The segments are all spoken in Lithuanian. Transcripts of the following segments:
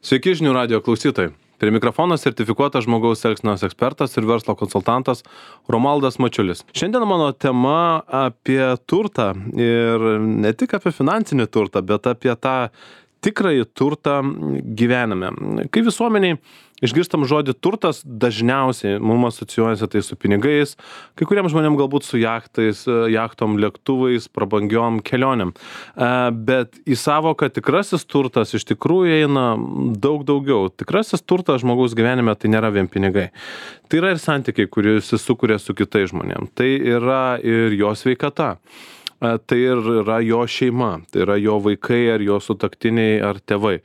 Sveiki žinių radijo klausytojai. Prie mikrofono sertifikuotas žmogaus elgsenos ekspertas ir verslo konsultantas Romualdas Mačiulis. Šiandien mano tema apie turtą ir ne tik apie finansinį turtą, bet apie tą tikrąjį turtą gyvenime. Kai visuomeniai išgirstam žodį turtas, dažniausiai mums asocijuojasi tai su pinigais, kai kuriems žmonėms galbūt su jachtom, lėktuvais, prabangiom kelionėm. Bet į savoką tikrasis turtas iš tikrųjų eina daug daugiau. Tikrasis turtas žmogaus gyvenime tai nėra vien pinigai. Tai yra ir santykiai, kuris jis sukuria su kitais žmonėms. Tai yra ir jo sveikata. Tai ir yra jo šeima, tai yra jo vaikai ar jo sutuoktiniai ar tėvai.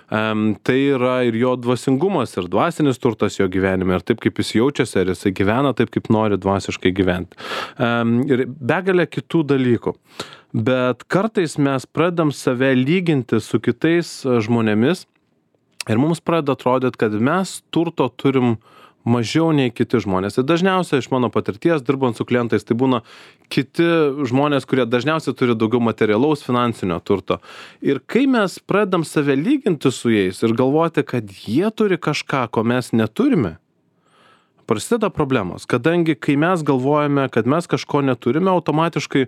Tai yra ir jo dvasingumas ir dvasinis turtas jo gyvenime ir taip kaip jis jaučiasi, ar jisai gyvena taip kaip nori dvasiškai gyventi. Ir begalė kitų dalykų. Bet kartais mes pradedam save lyginti su kitais žmonėmis ir mums pradeda atrodyti, kad mes turto turim mažiau nei kiti žmonės. Ir dažniausiai iš mano patirties, dirbant su klientais, tai būna kiti žmonės, kurie dažniausiai turi daugiau materialaus finansinio turto. Ir kai mes pradedam save lyginti su jais ir galvoti, kad jie turi kažką, ko mes neturime, prasideda problemos. Kadangi kai mes galvojame, kad mes kažko neturime, automatiškai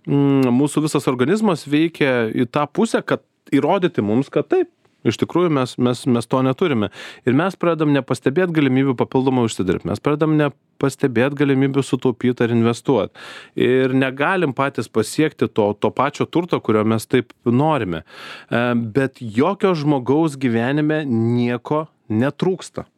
mūsų visas organizmas veikia į tą pusę, kad įrodyti mums, kad taip. Iš tikrųjų mes to neturime. Ir mes pradedam nepastebėti galimybių papildomai užsidirbti. Mes pradedam nepastebėti galimybių sutaupyti ar investuoti. Ir negalim patys pasiekti to pačio turto, kurio mes taip norime. Bet jokio žmogaus gyvenime nieko netrūksta.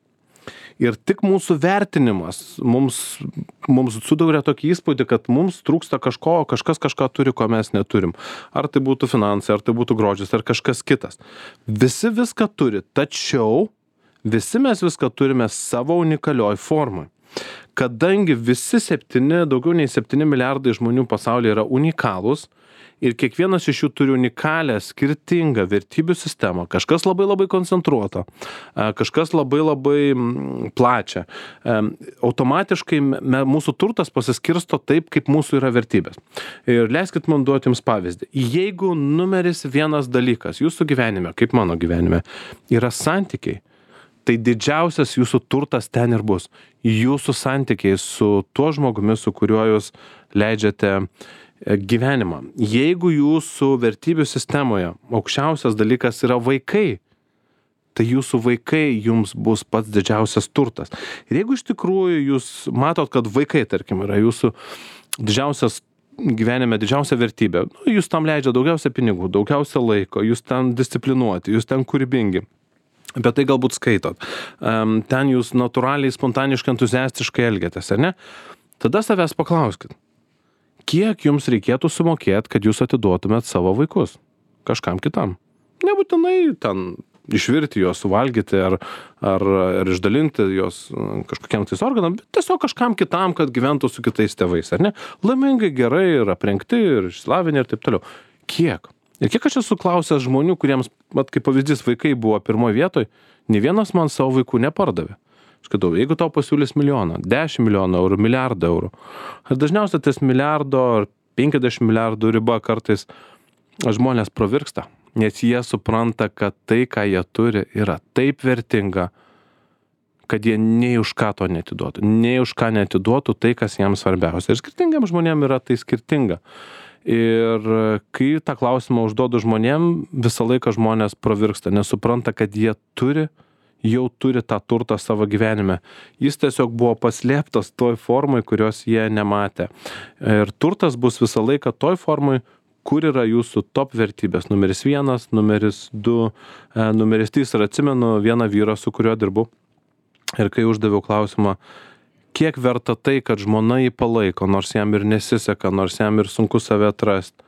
Ir tik mūsų vertinimas mums sudaria tokį įspūdį, kad mums trūksta kažko, o kažkas kažką turi, ko mes neturim. Ar tai būtų finansai, ar tai būtų grožis, ar kažkas kitas. Visi viską turi, tačiau visi mes viską turime savo unikalioj formai. Kadangi visi daugiau nei 7 milijardai žmonių pasaulyje yra unikalūs, ir kiekvienas iš jų turi unikalią, skirtingą vertybių sistemą. Kažkas labai koncentruota, kažkas labai plačią. Automatiškai mūsų turtas pasiskirsto taip, kaip mūsų yra vertybės. Ir leiskit man duoti jums pavyzdį. Jeigu numeris vienas dalykas jūsų gyvenime, kaip mano gyvenime, yra santykiai, tai didžiausias jūsų turtas ten ir bus. Jūsų santykiai su tuo žmogumi, su kuriuo jūs leidžiate gyvenimą. Jeigu jūsų vertybių sistemoje aukščiausias dalykas yra vaikai, tai jūsų vaikai jums bus pats didžiausias turtas. Ir jeigu iš tikrųjų jūs matot, kad vaikai, tarkim, yra jūsų didžiausias gyvenime, didžiausia vertybė, jūs tam leidžia daugiausia pinigų, daugiausia laiko, jūs ten disciplinuoti, jūs ten kūrybingi. Bet tai galbūt skaitot. Ten jūs natūraliai, spontaniškai, entuziastiškai elgiatės, ar ne? Tada savęs paklauskit. Kiek jums reikėtų sumokėti, kad jūs atiduotumėt savo vaikus kažkam kitam? Nebūtinai ten išvirti juos, suvalgyti ar išdalinti juos kažkokiam tais organam, bet tiesiog kažkam kitam, kad gyventų su kitais tėvais, ar ne? Laimingai, gerai, ir aprengti, ir išsilavinę ir taip toliau. Kiek? Ir kiek aš esu klausęs žmonių, kuriems, kaip pavyzdys, vaikai buvo pirmoje vietoje, nė vienas man savo vaikų nepardavė. Skaitau, jeigu tau pasiūlys milijoną, 10 milijonų eurų, milijardą eurų, ir dažniausiai ties milijardo ar 50 milijardų riba kartais žmonės pravirksta, nes jie supranta, kad tai, ką jie turi, yra taip vertinga, kad jie nei už ką to netiduotų tai, kas jiems svarbiausia. Ir skirtingiam žmonėm yra tai skirtinga. Ir kai tą klausimą užduodu žmonėm, visą laiką žmonės pravirksta, nes supranta, kad jie jau turi tą turtą savo gyvenime. Jis tiesiog buvo paslėptas toj formai, kurios jie nematė. Ir turtas bus visą laiką toj formai, kur yra jūsų top vertybės. Numeris 1, numeris 2, numeris 3. Ir atsimenu vieną vyrą, su kuriuo dirbu. Ir kai uždaviau klausimą, kiek verta tai, kad žmona jį palaiko, nors jam ir nesiseka, nors jam ir sunku save atrasti.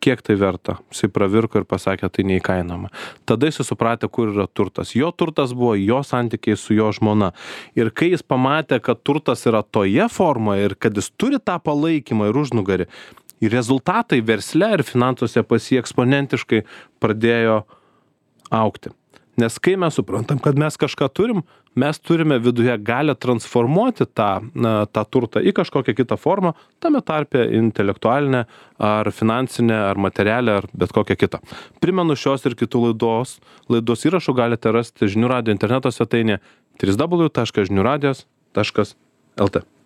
Kiek tai verta? Jisai pravirko ir pasakė, tai neįkainoma. Tada jis supratė, kur yra turtas. Jo turtas buvo jo santykiai su jo žmona. Ir kai jis pamatė, kad turtas yra toje formoje ir kad jis turi tą palaikymą ir užnugarį, ir rezultatai versle ir finansuose pas jį eksponentiškai pradėjo augti. Nes kai mes suprantam, kad mes kažką turim, mes turime viduje galę transformuoti tą turtą į kažkokią kitą formą, tame tarpe intelektualinę, ar finansinę, ar materialę, ar bet kokią kitą. Primenu, šios ir kitų laidos įrašų galite rasti Žinių radijo interneto svetainėje www.žiniuradijos.lt.